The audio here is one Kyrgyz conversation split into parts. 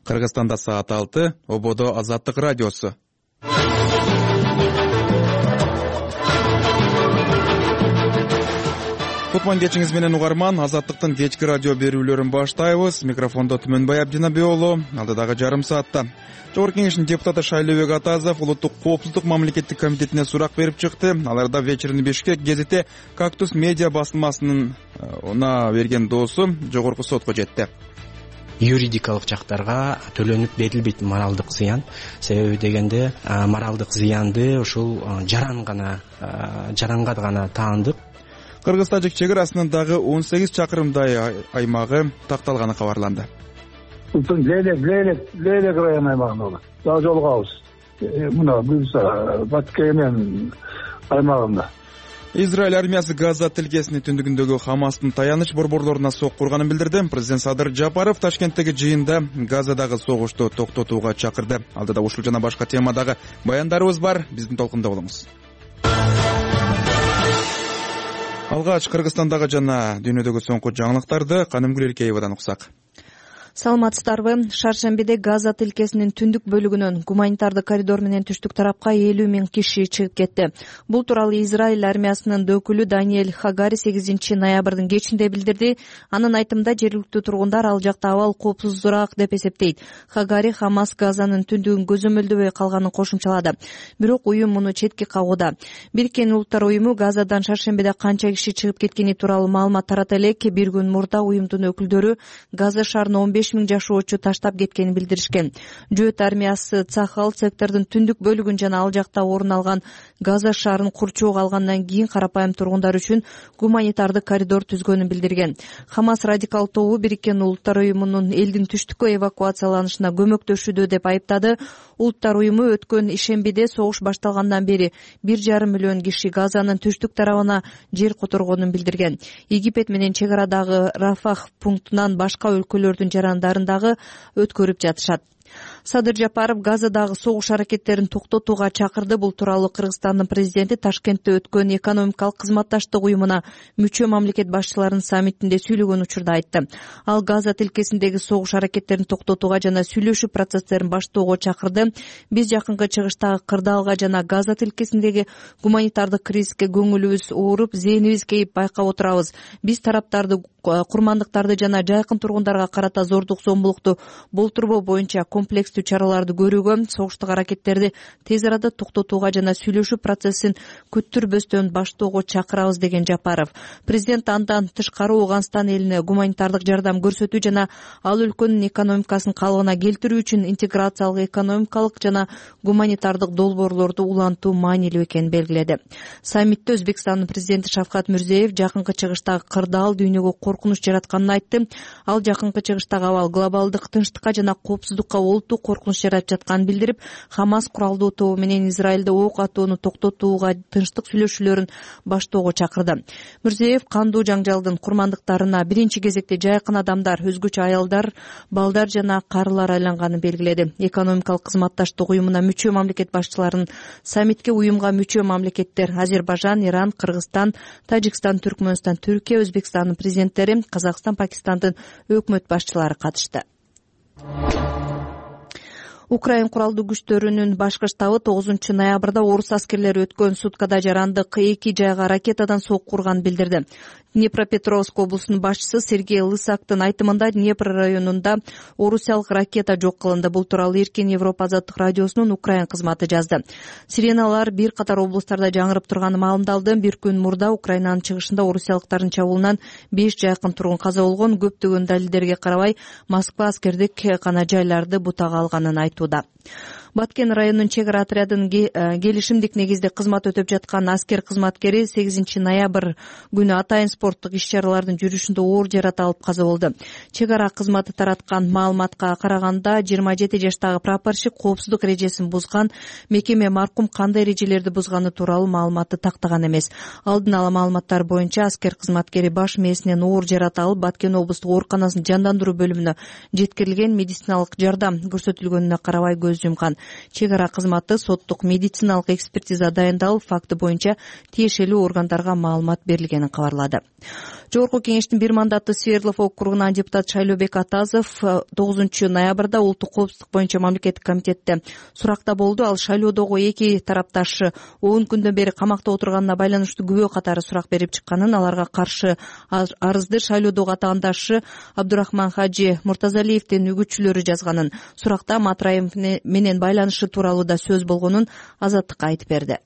Кыргызстанда саат 6, Ободо Азаттык радиосу. Кутман кечиңиз менен угарман, Азаттыктын кечки радио берүүлөрүн баштайбыз. Микрофондо Түмөнбай Абдинабек уулу, алдыдагы жарым саатта. Жогорку кеңештин депутаты Шайлообек Атазов Улуттук коопсуздук мамлекеттик комитетине сурак берип чыкты. Аларда вечерний Бишкек гезити Кактус медиа басылмасынын берген доосу жогорку сотко жетти. Юридикалык жактарга төлөнүп берилбейт моралдык зыян. Себеби дегенде моралдык зыянды ушул жаранга гана таандык. Кыргыз-Тажик чек-арасынын дагы 18 чакырымдай аймагы такталганы кабарланды. Лейлек район аймагында болот. Дагы жолугабыз. Мына Бюрса, Баткемен аймагында. Израиль армиясы Газа тилкесинин түндүгүндөгү Хамастын таяныч борборлоруна сок курганын билдирди. Президент Садыр Жапаров Ташкенттеги жыйында Газадагы согушту токтотууга чакырды. Алдыда ушул жана башка темадагы баяндарыбыз бар. Биздин толкунда болуңуз. Алгач Кыргызстандагы жана дүйнөдөгү соңку жаңылыктарды Канымгүл Эркеевадан уксак. Саламатсыздарбы? Шаршембиде Газа тилкесинин түндүк бөлүгүнөн гуманитардык коридор менен түштүк тарапка 50 000 киши чыгып кетти. Бул тууралуу Израиль армиясынын өкүлү Даниэль Хагари 8 ноябрдын кечинде билдирди. Анын айтымында жергиликтүү тургундар ал жакта абал коопсуздураак деп эсептейт. Хагари Хамас Газанын түндүгүн көзөмөлдөбөй калганын кошумчалады. Бирок уюм муну четке кагууда. Бириккен Улуттар уюму Газадан шаршембиде канча киши чыгып кеткени тууралуу маалымат тарата элек. Бир күн мурда уюмдун өкүлдөрү Газа шаарына 15 000 жашоочу таштап кеткенин билдиришкен. Жөөт армиясы Цахал сектордун түндүк бөлүгүн жана ал жакта орун алган Газа шаарын курчоого алгандан кийин карапайым тургундар үчүн гуманитардык коридор түзгөнүн билдирген. Хамас радикал тобу Бириккен Улуттар уюмунун элдин түштүккө эвакуацияланышына көмөктөшүүдө деп айыптады. Улуттар уюму өткөн ишембиде согуш башталгандан бери 1,5 миллион киши Газанын түштүк тарабына жер которгонун билдирген. Египет менен чек арадагы Рафах пунктунан башка өлкөлөрдүн жарандарын дагы өткөрүп жатышат. Садыр Жапаров Газадагы согуш аракеттерин токтотууга чакырды. Бул тууралуу Кыргызстандын президенти Ташкентте өткөн экономикалык кызматташтык уюмуна мүчө мамлекет башчыларынын саммитинде сүйлөгөн учурда айтты. Ал Газа тилкесиндеги согуш аракеттерин токтотууга жана сүйлөшүү процесстерин баштоого чакырды. Биз жакынкы чыгыштагы кырдаалга жана Газа тилкесиндеги гуманитардык кризиске көңүлүбүз ооруп, зээнибиз кейип байкап отурабыз. Биз тараптарды курмандыктарды жана жайкын тургундарга карата зордук зомбулукту болтурбоо боюнча комплекстүү чараларды көрүүгө, согуштук аракеттерди тез арада токтотууга жана сүйлөшүү процессин күттүрбөстөн баштоого чакырабыз деген Жапаров. Президент андан тышкары Ооганстан элине гуманитардык жардам көрсөтүү жана ал өлкөнүн экономикасын калыбына келтирүү үчүн интеграциялык экономикалык жана гуманитардык долбоорлорду улантуу маанилүү экенин белгиледи. Саммитте Өзбекстандын президенти Шавкат Мирзиеев жакынкы чыгыштагы кырдаал дүйнөгө коркунуч жаратканын айтты. Ал жакынкы чыгыштагы абал глобалдык тынчтыкка жана коопсуздукка олуттуу коркунуч жаратып жатканын билдирип, Хамас куралдуу тобу менен Израилде ок атууну токтотууга тынчтык сүйлөшүүлөрүн баштоого чакырды. Мирзиеев кандуу жаңжалдын курмандыктарына биринчи кезекте жайкын адамдар, өзгөчө аялдар, балдар жана карылар айланганын белгиледи. Экономикалык кызматташтык уюмуна мүчө мамлекет башчыларынын саммитке уюмга мүчө мамлекеттер Азербайжан, Иран, Кыргызстан, Тажикстан, Түркмөнстан, Түркия, Өзбекстандын президенттери, Казакстан, Пакистандын өкмөт башчылары катышты. Украин куралдуу күчтөрүнүн башкы штабы 9 ноябрда орус аскерлери өткөн суткада жарандык 2 жайга ракетадан сок курганын билдирди. Днепропетровск облусунун башчысы Сергей Лысактын айтымында Днепр районунда орусиялык ракета жок кылынды. Бул тууралуу Эркин Европа азаттык радиосунун Украин кызматы жазды. Сиреналар бир катар облустарда жаңырып турганы маалымдалды. Бир күн мурда Украинанын чыгышында орусиялыктардын чабуулунан 5 жайкын тургун каза болгон. Көптөгөн далилдерге карабай Москва аскердик кана жайларды бутага алганын айтууда. Баткен районунун чек ара отрядынын келишимдик негизде кызмат өтөп жаткан аскер кызматкери 8 ноябрь күнү атайын спорттук иш-чаралардын жүрүшүндө оор жарат алып каза болду. Чек ара кызматы тараткан маалыматка караганда 27 жаштагы прапорщик коопсуздук эрежесин бузган. Мекеме маркум кандай эрежелерди бузганы тууралуу маалыматты тактаган эмес. Алдын ала маалыматтар боюнча аскер кызматкери баш мээсинен оор жарат алып Баткен облустук ооруканасынын жандандыруу бөлүмүнө жеткирилген. Медициналык жардам көрсөтүлгөнүнө карабай көз жумкан. Чек ара кызматы соттук медициналык экспертиза дайындалып, факты боюнча тиешелүү органдарга маалымат берилгенин кабарлады. Жогорку кеңештин бир мандаттуу Свердлов округунан депутат Шайлообек Атазов 9 ноябрда улуттук коопсуздук боюнча мамлекеттик комитетте суракта болду. Ал шайлоодогу эки тарапташ 10 күндөн бери камакта отурганына байланыштуу күбө катары сурак берип чыкканын, аларга каршы арызды шайлоодогу атаандашы Абдурахман Хажи Муртазалиевдин үгүтчүлөрү жазганын, суракта Матраев менен байланышы тууралуу да сөз болгонун Азаттыкка айтып берди.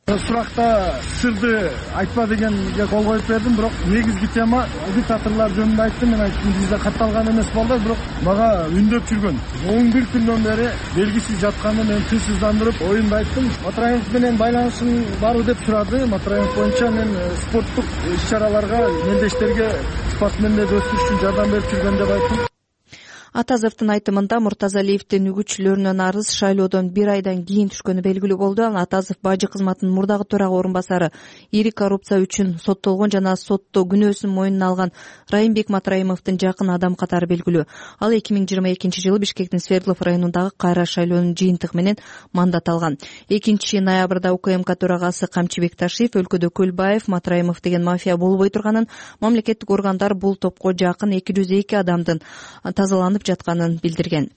Суракта сырды айтпа дегенге кол коюп бердим, бирок негизги тема диктаторлор жөнүндө айттым. Мен айттым, бизде катталган эмес балдар, бирок мага үндөп жүргөн 11 күндөн бери белгисиз жатканын мен тынчсыздандырып оюмду айттым. Матраев менен байланышың барбы деп сурады. Матраев боюнча мен спорттук иш-чараларга, мелдештерге спортсмендерди өстүрүш үчүн жардам берип жүргөн деп айттым. Атазовдун айтымында Муртазалиевдин үгүтчүлөрүнүн арыз шайлоодон 1 айдан кийин түшкөнү белгилүү болду. Ал Атазов бажы кызматынын мурдагы төрага орун басары, ири коррупция үчүн соттолгон жана сотто күнөөсүн мойнуна алган Райымбек Матраимовдун жакын адам катары белгилүү. Ал 2022 жылы Бишкектин Свердлов районундагы кайра шайлоонун жыйынтыгы менен мандат алган. 2 ноябрда УКМК төрагасы Камчыбек Ташиев өлкөдө Көлбаев, Матраимов деген мафия болбой турганын, мамлекеттик органдар бул топко жакын 202 адамдын тазаланып жатканын билдирген.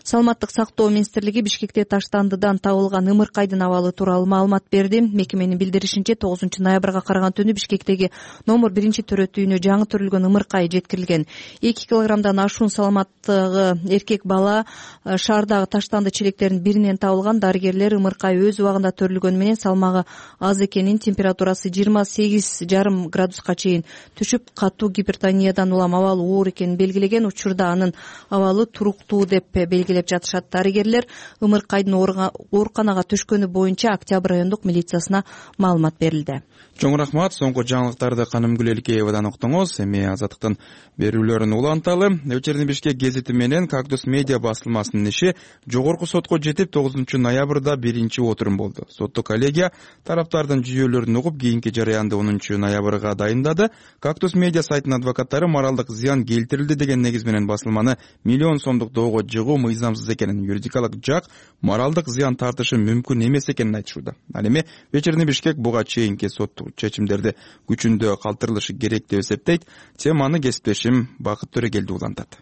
Саламаттык сактоо министрлиги Бишкекте Таштандыдан табылган ымыркайдын абалы тууралуу маалымат берди. Мекеменин билдиришинче 9 ноябрга караган түнү Бишкектеги номер 1 төрөт үйүнө жаңы төрүлгөн ымыркай жеткирилген. 2 килограммдан ашуун саламаттыгы эркек бала шаардагы Таштанды челектеринин биринен табылган. Дарыгерлер ымыркай өз убагында төрүлгөнү менен салмагы аз экенин, температурасы 28,5 градуска чейин түшүп, катуу гипертониядан улам абалы оор экенин белгилеген. Учурда анын абалы туруктуу деп белгилеп жатышат. Дарыгерлер ымыркайдын ооруканага түшкөнү боюнча Октябрь райондук милициясына маалымат берилди. Чоң рахмат. Соңку жаңылыктарды Канымгүл Элкеевадан уктуңуз. Эми Азаттыктын берүүлөрүн уланталы. Вечерний Бишкек гезити менен Кактус медиа басылмасынын иши жогорку сотко жетип, 9 ноябрда 1-отурум болду. Соттук коллегия тараптардын жүйөлөрүн угуп, кийинки жараянды 10 ноябрга дайындады. Кактус медиа сайтынын адвокаттары моралдык зыян келтирилди деген негиз менен басылманы миллион сомдук доого жыгуу мыйзамсыз экенин, юридикалык жак моралдык зыян тартышы мүмкүн эмес экенин айтышууда. Ал эми Вечерний Бишкек буга чейинки соттук чечимдерди күчүндө калтырылышы керек деп эсептейт. Теманы кесиптешим Бакыт Төрөгелди улантат.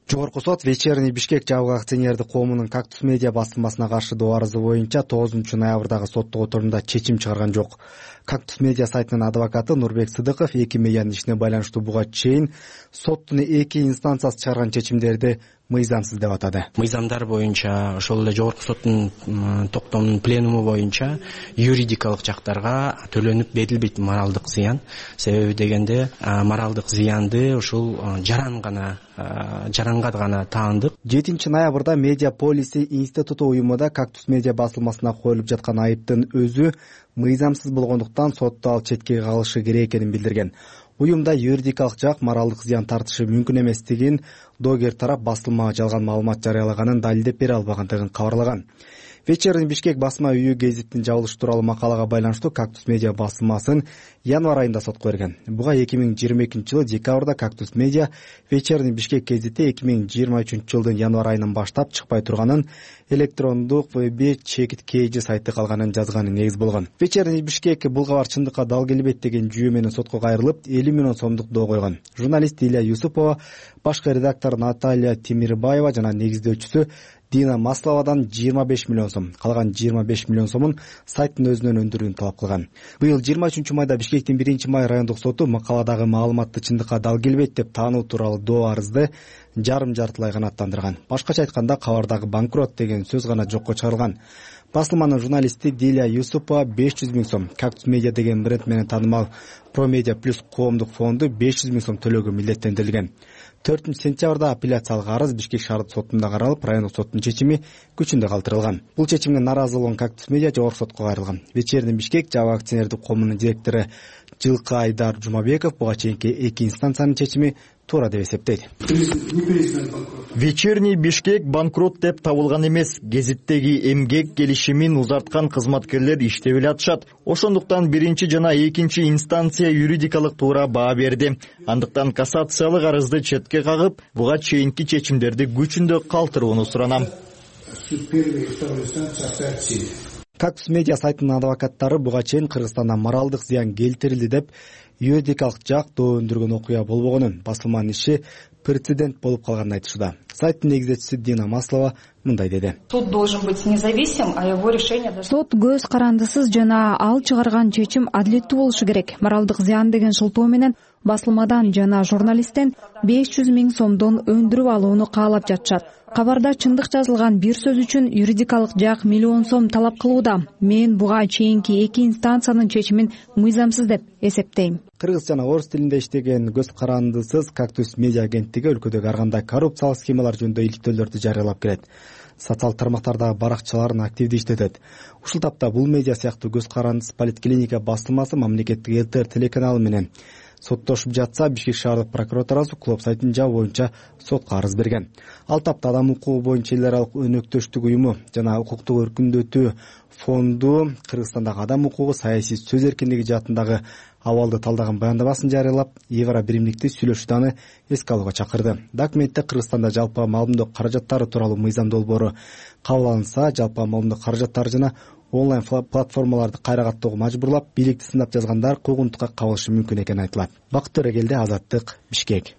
Жогорку сот Вечерний Бишкек жабык акционердик коомунун Кактус медиа басылмасына каршы доо арызы боюнча 9 ноябрдагы соттук отурумда чечим чыгарган жок. Кактус медиа сайтынын адвокаты Нурбек Сыдыков 2 медианын ишине байланыштуу буга чейин соттун 2 инстанциясы чыгарган чечимдерди мыйзамсыз деп атады. Мыйзамдар боюнча, ошол эле жогорку соттун токтомунун пленуму боюнча юридикалык жактарга төлөнүп берилбейт моралдык зыян. Себеби дегенде моралдык зыянды ушул жаранга гана таандык. 7 ноябрда Медиа Полиси институту уюмунда Кактус медиа басылмасына коюлуп жаткан айыптын өзү мыйзамсыз болгондуктан сотто ал четке калышы керек экенин билдирген. Уюмда юридикалык жак моралдык зыян тартышы мүмкүн эместигин, доогер тарап басылмага жалган маалымат жарыялаганын далилдеп бере албагандыгын кабарлаган. Вечерний Бишкек басма үйү гезиттин жабылышы тууралуу макалага байланыштуу Кактус медиа басылмасын январь айында сотко берген. Буга 2022 жылы декабрда Кактус медиа Вечерний Бишкек гезити 2023 жылдын январь айынан баштап чыкпай турганын, электрондук веб чекит KG сайты калганын жазганы негиз болгон. Вечерний Бишкек бул кабар чындыкка дал келбейт деген жүйө менен сотко кайрылып 50 миллион сомдук доо койгон. Журналист Илья Юсупова, башкы редактор Наталья Тимирбаева жана негиздөөчүсү Дина Масловадан 25 миллион сом, калган 25 миллион сомун сайттын өзүнөн өндүрүүнү талап кылган. Быйыл 23 майда Бишкектин 1 май райондук соту макаладагы маалыматты чындыкка дал келбейт деп таануу тууралуу доо арызды жарым-жартылай канааттандырган. Башкача айтканда, кабардагы банкрот деген сөз гана жокко чыгарылган. Басылманын журналисти Диля Юсупова 500 миң сом, Кактус медиа деген бренд менен таанымал Промедиа плюс коомдук фонду 500 миң сом төлөөгө милдеттендирилген. 4 сентябрда апелляциялык арыз Бишкек шаардык сотунда каралып, райондук соттун чечими күчүндө калтырылган. Бул чечимге наразы болгон Кактус медиа жогорку сотко кайрылган. Вечерний Бишкек жабык акционердик коомунун директору Жылкы Айдар Жумабеков буга чейинки 2 инстанциянын чечими туура деп эсептейт. Вечерний Бишкек банкрот деп табылган эмес. Гезиттеги эмгек келишимин узарткан кызматкерлер иштеп эле атышат. Ошондуктан 1 жана 2 инстанция юридикалык туура баа берди. Андыктан кассациялык арызды четке кагып, буга чейинки чечимдерди күчүндө калтырууну суранам. первые и второй инстанции оставят в силе. Кактус медиа сайтынын адвокаттары буга чейин Кыргызстанда моралдык зыян келтирилди деп юридикалык жак доондургөн окуя болбогонун, басылманын иши прецедент болуп калганын айтышууда. Сайттын негизчиси Дина Маслова мындай деди. Суд должен быть независим, а его решение должно... Сот көз карандысыз жана ал чыгарган чечим адилеттүү болушу керек. Моралдык зыян деген шылтоо менен басылмадан жана журналисттен 500 000 сомдон өндүрүп алууну каалап жатышат. Кабарда чындык жазылган бир сөз үчүн юридикалык жак миллион сом талап кылууда. Мен буга чейинки 2 инстанциянын чечимин мыйзамсыз деп эсептейм. Кыргыз жана орус тилинде иштеген көз карандысыз Кактус медиа агенттиги өлкөдөгү ар кандай коррупциялык схемалар жөнүндө иликтөөлөрдү жарыялап келет. Социалдык тармактардагы баракчаларын активдүү иштетет. Ушул тапта бул медиа сыяктуу көз карандысыз Политклиника басылмасы мамлекеттик ЛТР телеканалы менен соттошуп жатса, Бишкек шаардык прокуратурасы клуб сайтын жабуу боюнча сотко арыз берген. Ал тапта Адам укугу боюнча эл аралык өнөктөштүк уюму жана укуктук өркүндөтүү фонду Кыргызстандагы адам укугу, саясий сөз эркиндиги жаатындагы абалды талдаган баяндамасын жарыялап, Евро биримдикти сүйлөшүүдө эске алууга чакырды. Документте Кыргызстанда жалпы маалымдоо каражаттары тууралуу мыйзам долбоору кабыл алынса, жалпы маалымдоо каражаттары жана онлайн платформаларды кайра каттоого мажбурлап, бийликти сындап жазгандар куугунтукка кабылышы мүмкүн экени айтылат. Бакыт Төрөгелди, Азаттык, Бишкек.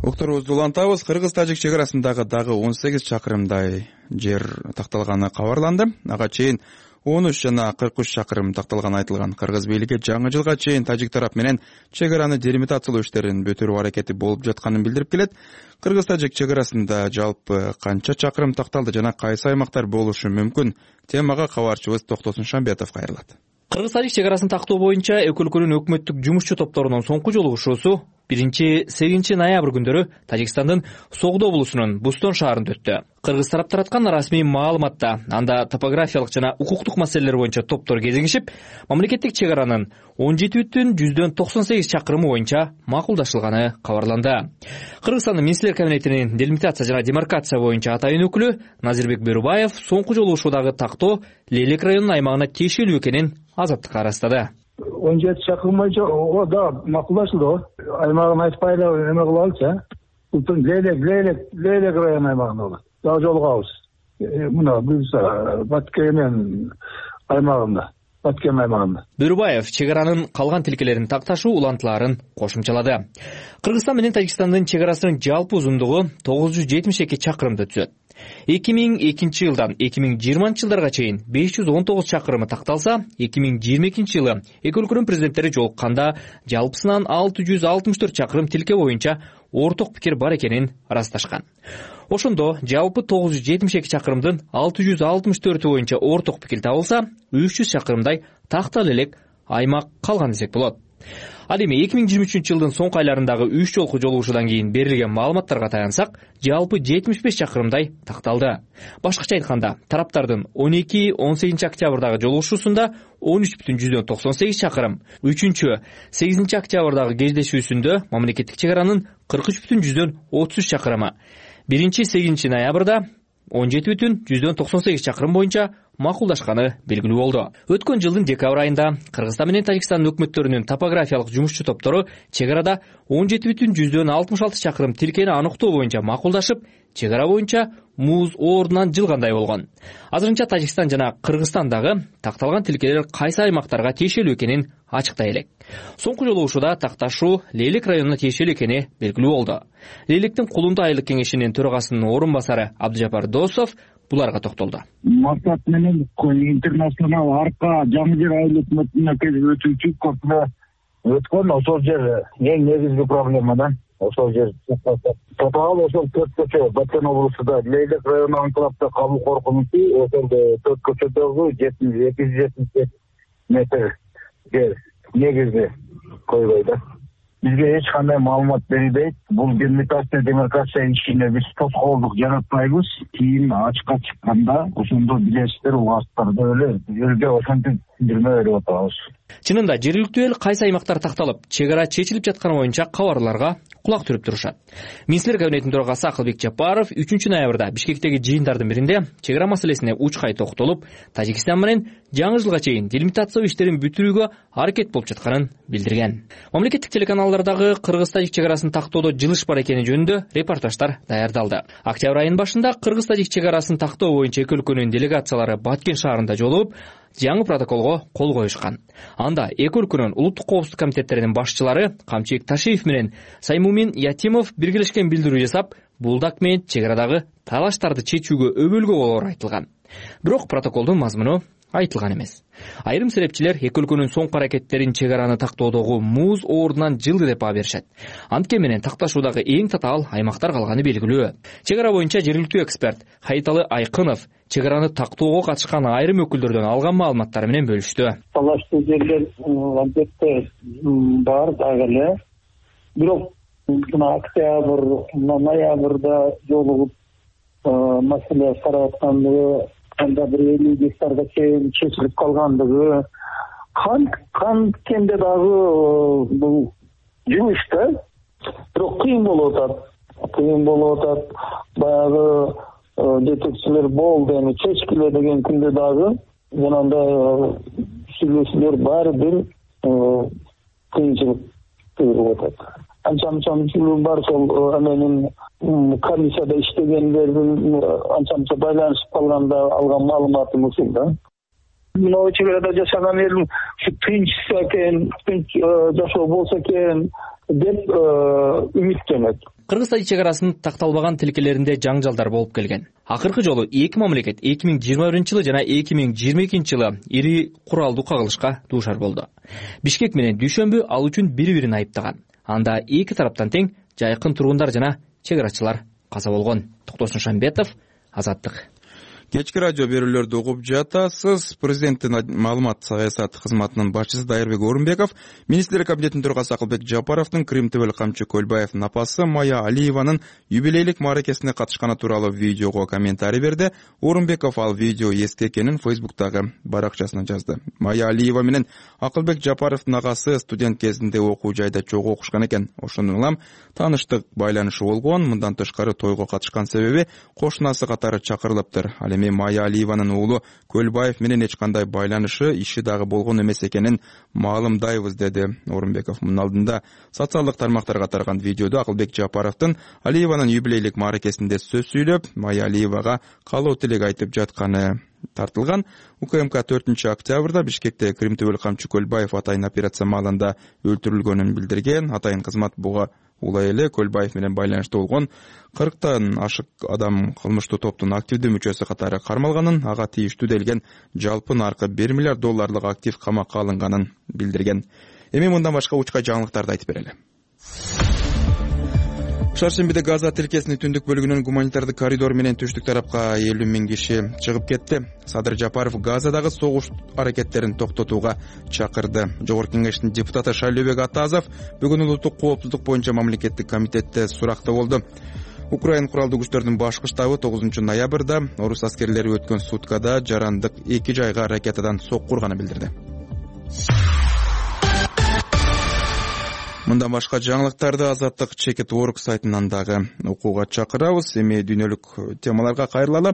Уктурубузду улантабыз. Кыргыз-тажик чек арасындагы дагы 18 чакырымдай жер такталганы кабарланды. Ага чейин 13 жана 43 чакырым такталганы айтылган. Кыргыз бийлиги жаңы жылга чейин тажик тарап менен чек араны делимитациялоо иштерин бүтүрүү аракети болуп жатканын билдирип келет. Кыргыз-тажик чек арасында жалпы канча чакырым такталды жана кайсы аймактар болушу мүмкүн? Темага кабарчыбыз Токтосун Шамбетов кайрылат. Кыргыз-тажик чек арасын тактоо боюнча эки өлкөнүн өкмөттүк жумушчу топторунун соңку жолугушуусу 1-8 ноябрь күндөрү Тажикстандын Согдо облусунун Бустон шаарында өттү. Кыргыз тарап тараткан расмий маалыматта анда топографиялык жана укуктук маселелер боюнча топтор кезигишип, мамлекеттик чек аранын 17,98 чакырымы боюнча макулдашылганы кабарланды. Кыргызстандын министрлер кабинетинин делимитация жана демаркация боюнча атайын өкүлү Назирбек Берубаев соңку жолугушуудагы тактоо Лейлек районунун аймагына тиешелүү экенин Азаттыкка арастады. 17 чакырым боюнча да макулдашылды. Аймагын айтпай эле эме кылалычы. Бул Лейлек район аймагында болот. Дагы жолугабыз. Мына биз Баткен аймагында. Берубаев чек аранын калган тилкелерин такташуу улантыларын кошумчалады. Кыргызстан менен Тажикстандын чек арасынын жалпы узундугу 972 чакырымды түзөт. 2002 жылдан 2020 жылдарга чейин 519 чакырымы такталса, 2022 жылы эки өлкөнүн президенттери жолукканда жалпысынан 664 чакырым тилке боюнча орток пикир бар экенин ырасташкан. Ошондо жалпы 972 чакырымдын 664 боюнча орток пикир табылса, 300 чакырымдай тактала элек аймак калган десек болот. Ал эми 2023 жылдын соңку айларындагы 3 жолку жолугушуудан кийин берилген маалыматтарга таянсак, жалпы 75 чакырымдай такталды. Башкача айтканда, тараптардын 12-18 октябрдагы жолугушуусунда 13,98 чакырым, 3-8 октябрдагы кездешүүсүндө мамлекеттик чек аранын 43,33 чакырымы, 1-8 ноябрда 17,98 чакырым боюнча макулдашканы белгилүү болду. Өткөн жылдын декабрь айында Кыргызстан менен Тажикстан өкмөттөрүнүн топографиялык жумушчу топтору чек арада 17,66 чакырым тилкени аныктоо боюнча макулдашып, чек ара боюнча муз ордунан жылгандай болгон. Азырынча Тажикстан жана Кыргызстан дагы такталган тилкелер кайсы аймактарга тиешелүү экенин ачыктай элек. Соңку жолугушууда такташуу Лейлек районуна тиешелүү экени белгилүү болду. Лейлектин Кулунду айылдык кеңешинин төрагасынын орун басары Абдыжапар Досов буларга токтолду. Максат менен интернационал арка жаңы жер айыл өкмөтүнө өтүүчү көпүнө өткөн ошол жер эң негизги проблема да. Ошол жер тотал ошол 4 көчө Баткен облусунда Лейлек району анклавда калуу коркунучу ошол 4 көчөдөгү 270 метр жер негизги койбой да. Бизге эч кандай маалымат берилбейт. Бул делимитация демаркация ишине биз тоскоолдук жаратпайбыз. Кийин ачыкка чыкканда ошондо билесиздер, угасыздар эле жерге ошентип жүрмө берип атабыз. Чынында жергиликтүү эл кайсы аймактар такталып, чек ара чечилип жатканы боюнча кабарларга кулак түрүп турушат. Министрлер кабинетинин төрагасы Акылбек Жапаров 3 ноябрда Бишкектеги жыйындардын биринде чек ара маселесине учкай токтолуп, Тажикстан менен жаңы жылга чейин делимитация иштерин бүтүрүүгө аракет болуп жатканын билдирген. Мамлекеттик телеканалдардагы Кыргыз-Тажик чек арасын тактоодо жылыш бар экени жөнүндө репортаждар даярдалды. Октябрь айынын башында Кыргыз-Тажик чек арасын тактоо боюнча эки өлкөнүн делегациялары Баткен шаарында жолугуп, жаңы протоколго кол коюшкан. Анда эки өлкөнүн улуттук коопсуздук комитеттеринин башчылары Камчыбек Ташиев менен Саймумин Ятимов биргелешкен билдирүү жасап, бул документ чек арадагы талаштарды чечүүгө өбөлгө болоору айтылган. Бирок протоколдун мазмуну айтылган эмес. Айрым серепчилер эки өлкөнүн соңку аракеттерин чек араны тактоодогу муз оорунан жылды деп баа беришет. Антке менен такташуудагы эң татаал аймактар калганы белгилүү. Чек ара боюнча жергиликтүү эксперт Хайталы Айкынов чек араны тактоого катышкан айрым өкүлдөрдөн алган маалыматтары менен бөлүштү. Талаштуу жерлер албетте бар дагы эле. Бирок октябрь, ноябрда жолугуп маселе карап аткандыгы, анда бир 50 гектарга чейин чечилип калгандыгы, канткенде дагы бул жумуш да. Бирок кыйын болуп атат. Баягы жетекчилер болду, эми чечкиле деген күндө дагы жанагындай сүйлөшүүлөр баары бир кыйынчылык тууруп атат. Анча-мынча бар, сол эменин комиссияда иштегендердин анча-мынча байланышып калганда алган маалыматым ушул да. Мына чек арада жашаган эл ушу тынчса экен, тынч жашоо болсо экен деп үмүттөнөт. Кыргыз-Тажик чек арасынын такталбаган тилкелеринде жаңжалдар болуп келген. Акыркы жолу эки мамлекет 2021-жылы жана 2022-жылы ири куралдуу кагылышка дуушар болду. Бишкек менен Дүйшөмбү ал үчүн бири-бирин айыптаган. Анда эки тараптан тең жайкын тургундар жана чек арачылар каза болгон. Токтосун Шамбетов, Азаттык. Кечки радио берүүлөрдү угуп жатасыз. Президенттин маалымат саясат кызматынын башчысы Дайырбек Орунбеков, Министрлер кабинетинин төрагасы Акылбек Жапаровдун Крим ТВ Камчы Көлбаевдин апасы Майя Алиеванын юбилейлик мааракесине катышканы тууралуу видеого комментарий берди. Орунбеков ал видео эски экенин Фейсбуктагы баракчасына жазды. Майя Алиева менен Акылбек Жапаровдун агасы студент кезинде окуу жайда чогуу окушкан экен. Ошондон улам тааныштык байланышы болгон. Мындан тышкары тойго катышкан себеби кошунасы катары чакырылыптыр. Эми Майя Алиеванын уулу Көлбаев менен эч кандай байланышы, иши дагы болгон эмес экенин маалымдайбыз, деди Орунбеков. Мунун алдында социалдык тармактарга тараган видеодо Акылбек Жапаровдун Алиеванын юбилейлик мааракесинде сөз сүйлөп, Майя Алиевага каалоо тилек айтып жатканы тартылган. УКМК 4-октябрда Бишкекте Крим ТВ Камчы Көлбаев атайын операция маалында өлтүрүлгөнүн билдирген. Атайын кызмат буга улай эле Көлбаев менен байланышта болгон 40тан ашык адам кылмыштуу топтун активдүү мүчөсү катары кармалганын, ага тийиштүү делген жалпы наркы $1 миллиард актив камакка алынганын билдирген. Эми мындан башка учкай жаңылыктарды айтып берели. Шаршембиде Газа тилкесинин түндүк бөлүгүнөн гуманитардык коридор менен түштүк тарапка 50 000 киши чыгып кетти. Садыр Жапаров Газадагы согуш аракеттерин токтотууга чакырды. Жогорку кеңештин депутаты Шайлообек Атазов бүгүн улуттук коопсуздук боюнча мамлекеттик комитетте суракта болду. Украин куралдуу күчтөрдүн башкы штабы 9 ноябрда орус аскерлери өткөн суткада жарандык 2 жайга ракетадан сокку урганын билдирди. Мындан башка жаңылыктарды Азаттык Чекит.org сайтынан дагы окууга чакырабыз. Эми дүйнөлүк темаларга кайрылалы.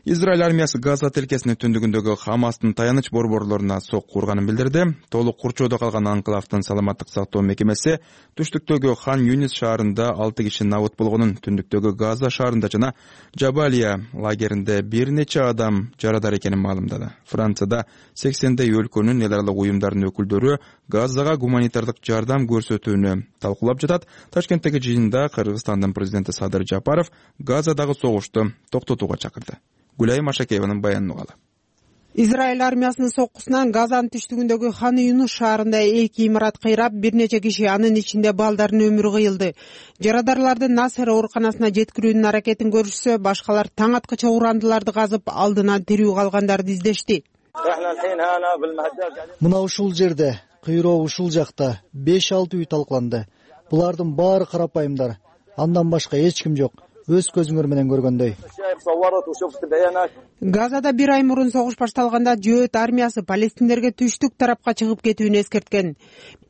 Израиль армиясы Газа тилкесинин түндүгүндөгү Хамастын таяныч борборлоруна сокку урганын билдирди. Толук курчоодо калган анклавдын саламаттык сактоо мекемеси түштүктөгү Хан Юнис шаарында 6 киши набыт болгонун, түндүктөгү Газа шаарында жана Жабалия лагеринде бир нече адам жарадар экенин маалымдады. Францияда 80дей өлкөнүн эл аралык уюмдарынын өкүлдөрү Газага гуманитардык жардам көрсөтүүнү талкуулап жатат. Ташкенттеги жыйында Кыргызстандын президенти Садыр Жапаров Газадагы согушту токтотууга чакырды. Гүлай Машакееванын баянын угалы. Израиль армиясынын соккусунан Газанын түштүгүндөгү Хан Юнус шаарында 2 имарат кыйрап, бир нече киши, анын ичинде балдардын өмүрү кыйылды. Жарадарларды Насер ооруканасына жеткирүүнүн аракетин көрүшсө, башкалар таң аткыча урандыларды казып, алдынан тирүү калгандарды издешти. Мына ушул жерде, кыйроо ушул жакта 5-6 үй талкаланды. Булардын баары карапайымдар. Андан башка эч ким жок. өз көзүңөр менен көргөндөй. Газада бир ай мурун согуш башталганда Жөөт армиясы палестиндерге түштүк тарапка чыгып кетүүнү эскерткен.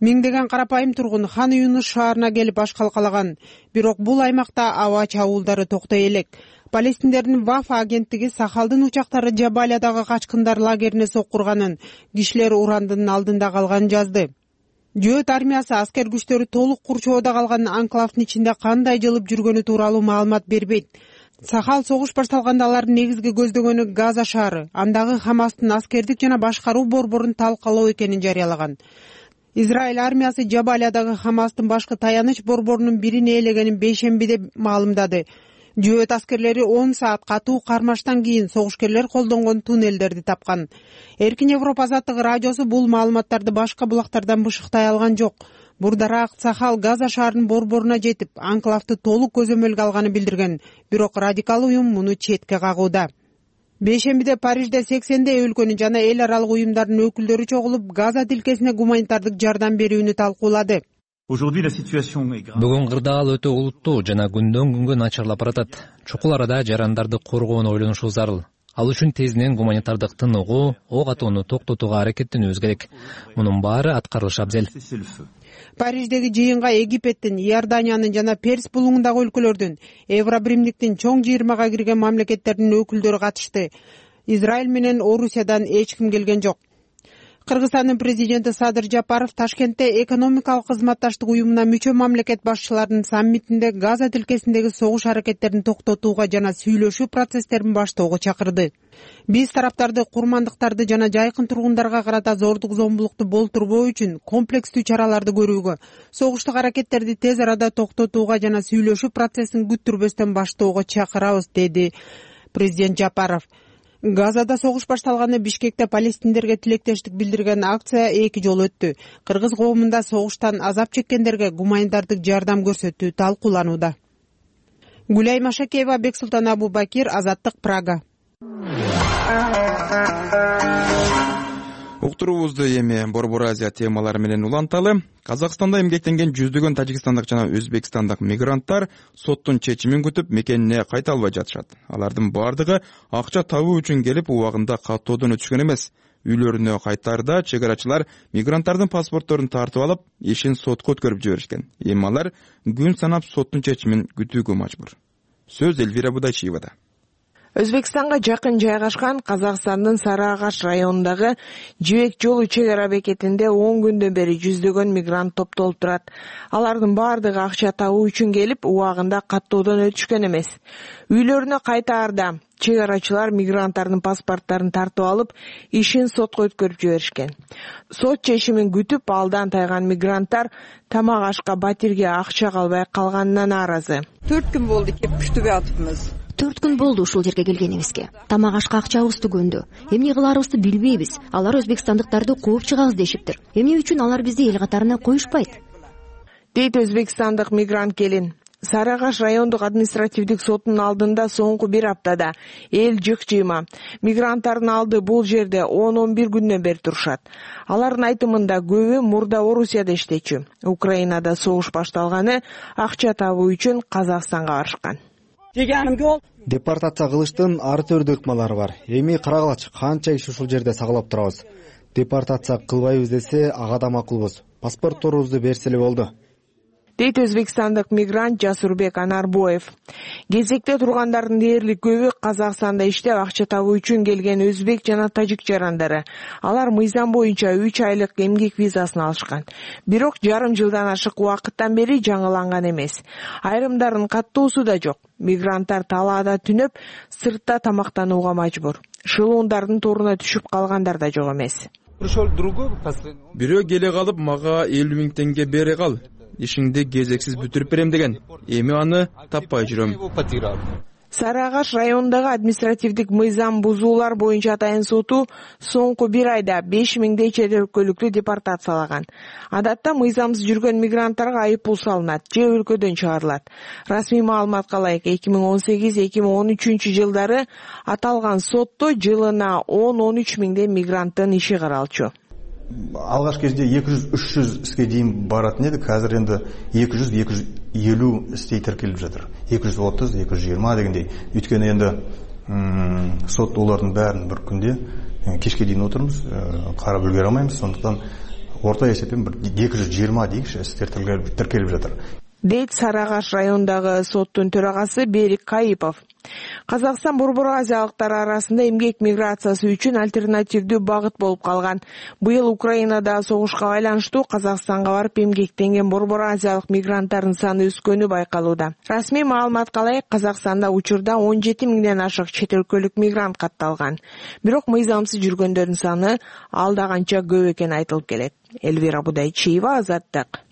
Миңдеген карапайым тургун Хан Юнус шаарына келип баш калкалаган. Бирок бул аймакта аба чабуулдары токтой элек. Палестиндердин Вафа агенттиги Сахалдын учактары Жабалиядагы качкындар лагерине соккурганын, кишилер урандын алдында калганын жазды. Жөөт армиясы аскер күчтөрү толук курчоодо калган анклавдын ичинде кандай жылып жүргөнү тууралуу маалымат бербейт. Сахал согуш башталганда алардын негизги көздөгөнү Газа шаары, андагы Хамастын аскердик жана башкаруу борборун талкалоо экенин жарыялаган. Израиль армиясы Жабалиядагы Хамастын башкы таяныч борборунун бирин ээлегенин бейшембиде маалымдады. Жөөт аскерлери 10 саат катуу кармаштан кийин согушкерлер колдонгон туннелдерди тапкан. Эркин Европа азаттыгы радиосу бул маалыматтарды башка булактардан бышыктай алган жок. Бурдараак Сахал Газа шаарынын борборуна жетип, анклавды толук көзөмөлгө алганын билдирген. Бирок радикал уюм муну четке кагууда. Бейшембиде Парижде 80 өлкөнүн жана эл аралык уюмдардын өкүлдөрү чогулуп, Газа тилкесине гуманитардык жардам берүүнү талкуулады. Бүгүн кырдаал өтө олуттуу жана күндөн күнгө начарлап баратат. Чукул арада жарандарды коргоону ойлонушу зарыл. Ал үчүн тезинен гуманитардык тыныгуу, ок атууну токтотууга аракеттенүүбүз керек. Мунун баары аткарылышы абзел. Париждеги жыйынга Египеттин, Иорданиянын жана Перс булуңундагы өлкөлөрдүн, Евробиримдиктин чоң 20га кирген мамлекеттердин өкүлдөрү катышты. Израиль менен Орусиядан эч ким келген жок. Кыргызстандын президенти Садыр Жапаров Ташкентте экономикалык кызматташтык уюмуна мүчө мамлекет башчыларынын саммитинде Газа тилкесиндеги согуш аракеттерин токтотууга жана сүйлөшүү процесстерин баштоого чакырды. Биз тараптарды курмандыктарды жана жайкын тургундарга карата зордук зомбулукту болтурбоо үчүн комплекстүү чараларды көрүүгө, согуштук аракеттерди тез арада токтотууга жана сүйлөшүү процессин күттүрбөстөн баштоого чакырабыз, деди президент Жапаров. Газада согуш башталганда Бишкекте палестиндерге тилектештик билдирген акция 2 жолу өттү. Кыргыз коомунда согуштан азап чеккендерге гуманитардык жардам көрсөтүү талкууланууда. Гүлай Машакеева, Бексултан Абубакир, Азаттык, Прага. Уктуруубузду эми Борбор Азия темалары менен уланталы. Казакстанда эмгектенген жүздөгөн тажикстандык жана өзбекстандык мигранттар соттун чечимин күтүп мекенине кайта албай жатышат. Алардын бардыгы акча табуу үчүн келип, убагында каттоодон өтүшкөн эмес. Үйлөрүнө кайтаарда чек арачылар мигранттардын паспортторун тартып алып, ишин сотко өткөрүп жиберишкен. Эми алар күн санап соттун чечимин күтүүгө мажбур. Сөз Элвира Будайчиевада. Өзбекстанга жакын жайгашкан Казакстандын Сары Агаш районундагы Жибек жолу чек ара бекетинде 10 күндөн бери жүздөгөн мигрант топтолуп турат. Алардын бардыгы акча табуу үчүн келип, убагында каттоодон өтүшкөн эмес. Үйлөрүнө кайтаарда чек арачылар мигранттардын паспорттарын тартып алып, ишин сотко өткөрүп жиберишкен. Сот чечимин күтүп алдан тайган мигранттар тамак ашка, батирге акча калбай калганына нааразы. 4 күн болду кеп күтүп атыпмыз. 4 күн болду ушул жерге келгенибизге. Тамак ашка акчабызды көндү. Эмне кыларыбызды билбейбиз. Алар өзбекстандыктарды кууп чыгабыз дешиптир. Эмне үчүн алар бизди эл катарына коюшпайт? Дейт өзбекстандык мигрант келин. Сары Агаш райондук административдик сотунун алдында соңку 1 аптада эл жык-жыйма. Мигранттардын алды бул жерде 10-11 күндөн бери турушат. Алардын айтымында көбү мурда Орусияда иштечү. Украинада согуш башталганы акча табуу үчүн Казакстанга барышкан. Депортация кылыштын ар түрдүү ыкмалары бар. Эми карагылачы, канча иш ушул жерде сагалап турабыз. Депортация кылбайбыз десе, ага да макулбуз. Паспортторубузду берселе болду. Дейт өзбекстандык мигрант Жасурбек Анарбоев. Кезекте тургандардын дээрлик көбү Казакстанда иштеп акча табуу үчүн келген өзбек жана тажик жарандары. Алар мыйзам боюнча 3 айлык эмгек визасын алышкан. Бирок жарым жылдан ашык убакыттан бери жаңыланган эмес. Айрымдардын каттоосу да жок. Мигранттар талаада түнөп, сыртта тамактанууга мажбур. Шылуундардын торуна түшүп калгандар да жок эмес. Бирөө келе калып, мага 50 000 теңге бере кал. Ишиңди кезексиз бүтүрүп берем деген. Эми аны таппай жүрөм. Сары Агаш районундагы административдик мыйзам бузуулар боюнча атайын соту соңку 1 айда 5000 чет өлкөлүктү депортациялаган. Адатта мыйзамсыз жүргөн мигранттарга айыппул салынат же өлкөдөн чыгарылат. Расмий маалыматка ылайык 2018-2013 жылдары аталган сотто жылына 10-13 миңдей мигранттын иши каралчу. алгачкы кезде 200-300 дейин баратын эдик. Азыр энди 200-250 истей тиркелип жатыр. 230-220 дегендей. Өйткөнү энди сот улардын баарын bir күндө кечке дейин отурмуз, карап үлгерө алмайбыз. Сондуктан орто эсеппен 220 дейикчи истер тиркелип жатыр. Дейт Сары Агаш районундагы соттун төрагасы Берик Кайыпов. Казакстан Борбор Азиялыктар арасында эмгек миграциясы үчүн альтернативдүү багыт болуп калган. Быйыл Украинада согушка байланыштуу Казакстанга барып эмгектенген Борбор Азиялык мигранттардын саны өскөнү байкалууда. Расмий маалыматка ылайык, Казакстанда учурда 17 миңден ашык чет өлкөлүк мигрант катталган. Бирок мыйзамсыз жүргөндөрдүн саны алда канча көп экени айтылып келет. Элвира Будайчиева, Азаттык.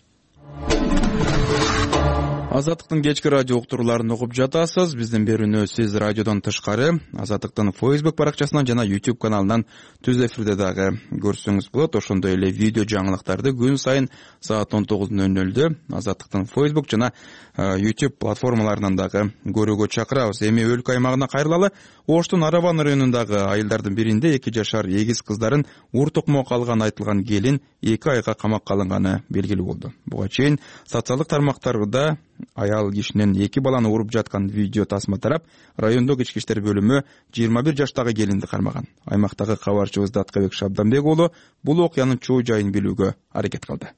Азаттыктын кечки радио уктурууларын угуп жатасыз. Биздин берүүнү сиз радиодон тышкары Азаттыктын Facebook баракчасынан жана YouTube каналынан түз эфирде дагы көрсөңүз болот. Ошондой эле видео жаңылыктарды күн сайын саат 19:00 Азаттыктын Facebook жана YouTube платформаларынан дагы көрүүгө чакырабыз. Эми өлкө аймагына кайрылалы. Оштун Араван районундагы айылдардын биринде 2 жашар эгиз кыздарын ур тукмокко алган айтылган келин 2 айга камакка алынганы белгилүү болду. Буга чейин социалдык тармактарда аял кишинин 2 баланы уруп жаткан видео тасма тарап, райондогу ички иштер бөлүмү 21 жаштагы келинди кармаган. Аймактагы кабарчыбыз Даткабек Шабданбек уулу бул окуянын чоо жайын билүүгө аракет кылды.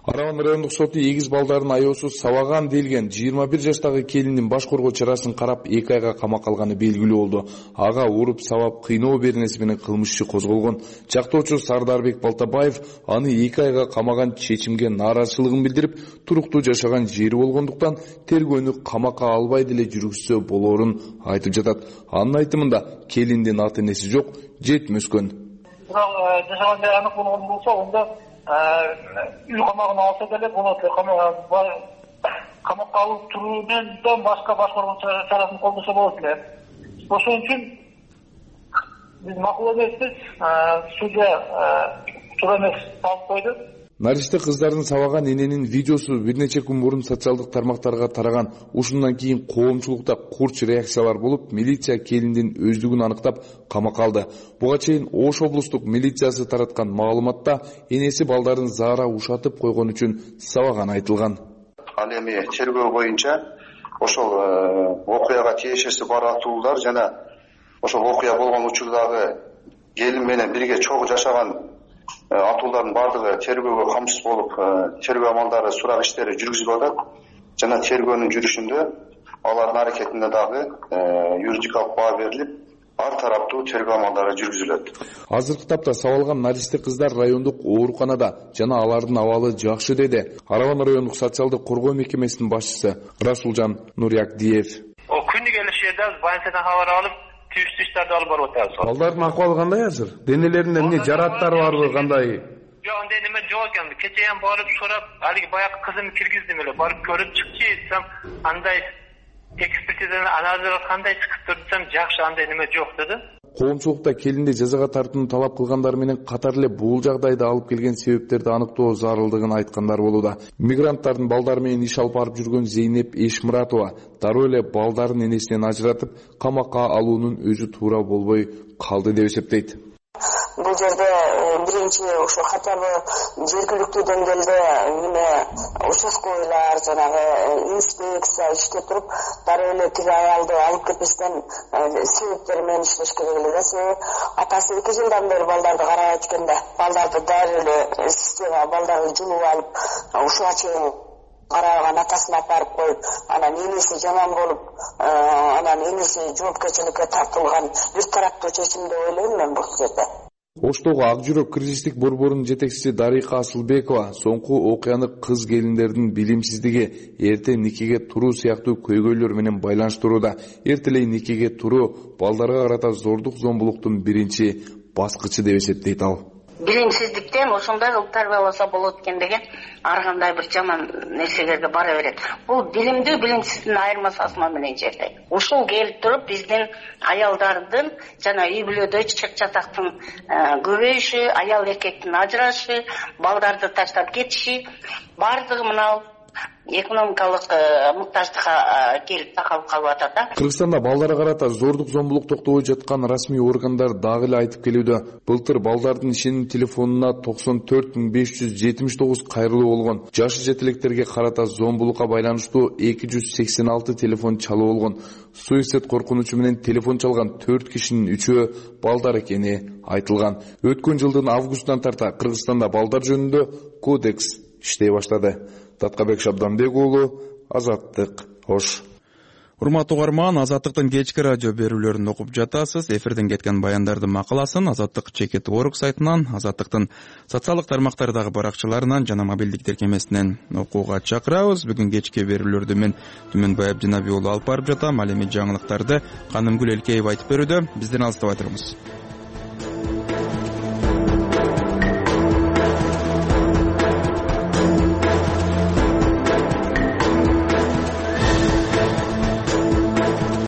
Араван райондук соту эгиз балдарын аяосуз сабаган делген 21 жаштагы келиндин баш коргоо чарасын карап 2 айга камакка алганы белгилүү болду. Ага уруп сабап кыйноо беренеси менен кылмыш иши козголгон. Жактоочу Сардарбек Балтабаев аны 2 айга камаган чечимге нааразычылыгын билдирип, туруктуу жашаган жери болгондуктан тергөөнү камакка албай деле жүргүзсө болоорун айтып жатат. Анын айтымында келиндин ата энеси жок, жетим өскөн. Жашаган жери анык болгон болсо, онда үй камагына алса деле болот. Камакка алып туруудан башка башкаруу чарасын колдошо болот эле. Ошон үчүн биз макул эмеспиз, судья туура эмес алып койду. Наристе кыздардын сабаган эненин видеосу бир нече күн мурун социалдык тармактарга тараган. Ушундан кийин коомчулукта курч реакциялар болуп, милиция келиндин өздүгүн аныктап камакка алды. Буга чейин Ош облустук милициясы тараткан маалыматта энеси балдарын заара ушатып койгон үчүн сабаганы айтылган. Ал эми тергөө боюнча ошол окуяга тиешеси бар атуулар жана ошол окуя болгон учурдагы келин менен бирге чогуу жашаган атуулардын бардыгы тергөөгө камсыз болуп, тергөө амалдары, сурак иштери жүргүзүлүп атат. Жана тергөөнүн жүрүшүндө алардын аракетине дагы юридикалык баа берилип, ар тараптуу тергөө амалдары жүргүзүлөт. Азыркы тапта сабалган наристе кыздар райондук ооруканада жана алардын абалы жакшы деди Араван райондук социалдык коргоо мекемесинин башчысы Расулжан Нуриякдиев. Күнү келишерде больницадан кабар алып, тийиштүү иштерди алып барып атабыз. Балдардын акыбалы кандай азыр? Денелеринде эмне жараттар барбы, кандай? Жок, андай неме жок экен. Кече ham барып сурап, алиги баягы кызымды киргиздим эле, барып көрүп чыкчы десем, андай экспертизадан анализ кандай чыгып турсам, жакшы, андай неме жок деди. Коомчулукта келинди жазага тартууну талап кылгандар менен катар эле бул жагдайда алып келген себептерди аныктоо зарылдыгын айткандар болууда. Мигранттардын балдары менен иш алып барып жүргөн Зейнеп Эшмуратова дароо эле балдарын энесинен ажыратып, камакка алуунун өзү туура болбой калды деп эсептейт. Бул жерде биринчи ошо хотя бы жергиликтүү деңгээлде эме участковыйлар жанагы инспекция иштеп туруп, дароо эле тиги аялды алып кетпестен себептери менен иштеш керек эле. Себеби атасы 2 жылдан бери балдарды карабайт экен да, балдарды дароо эле система балдарды жулуп алып, ушуга чейин караган атасына апарып коюп, анан энеси жаман болуп, анан энеси жоопкерчиликке тартылган бир тараптуу чечим деп ойлойм мен бул жерде. Оштогу Ак жүрөк кризистик борборунун жетекчиси Дарика Асылбекова соңку окуяны кыз келиндердин билимсиздиги, эрте никеге туруу сыяктуу көйгөйлөр менен байланыштырууда. Эртелей никеге туруу балдарга карата зордук зомбулуктун биринчи баскычы деп эсептейт ал. Билимсиздиктен ошондой кылып тарбияласа болот экен деген ар кандай бир жаман нерселерге бара берет. Бул билимдүү билимсиздин айырмасы асма менен жерде. Ушул келип туруп биздин аялдардын жана үй бүлөдө чык чатактын көбөйүшү, аял эркектин ажырашы, балдарды таштап кетиши бардыгы мына экономикалык муктаждыкка келип такалып калып атат да. Кыргызстанда балдарга карата зордук зомбулук токтобой жаткан расмий органдар дагы эле айтып келүүдө. Былтыр балдардын ишеним телефонуна 94.579 кайрылуу болгон. Жашы жетелектерге карата зомбулукка байланыштуу 286 телефон чалуу болгон. Суицид коркунучу менен телефон чалган 4 кишинин 3-өө балдар экени айтылган. Өткөн жылдын августунан тарта Кыргызстанда балдар жөнүндө кодекс иштей баштады. Таткабек Шабданбек уулу, Азаттык, Ош. Урматтуу угарман, Азаттыктын кечки радио берүүлөрүн окуп жатасыз. Эфирден кеткен баяндардын макаласын Азаттык чекит орг сайтынан, Азаттыктын социалдык тармактардагы баракчаларынан жана мобилдик тиркемесинен окууга чакырабыз. Бүгүн кечки берүүлөрдү мен Түмөнбай Абдинабий уулу алып барып жатам. Ал эми жаңылыктарды Канымгүл Элкеева айтып берүүдө. Бизден алыстабай туруңуз.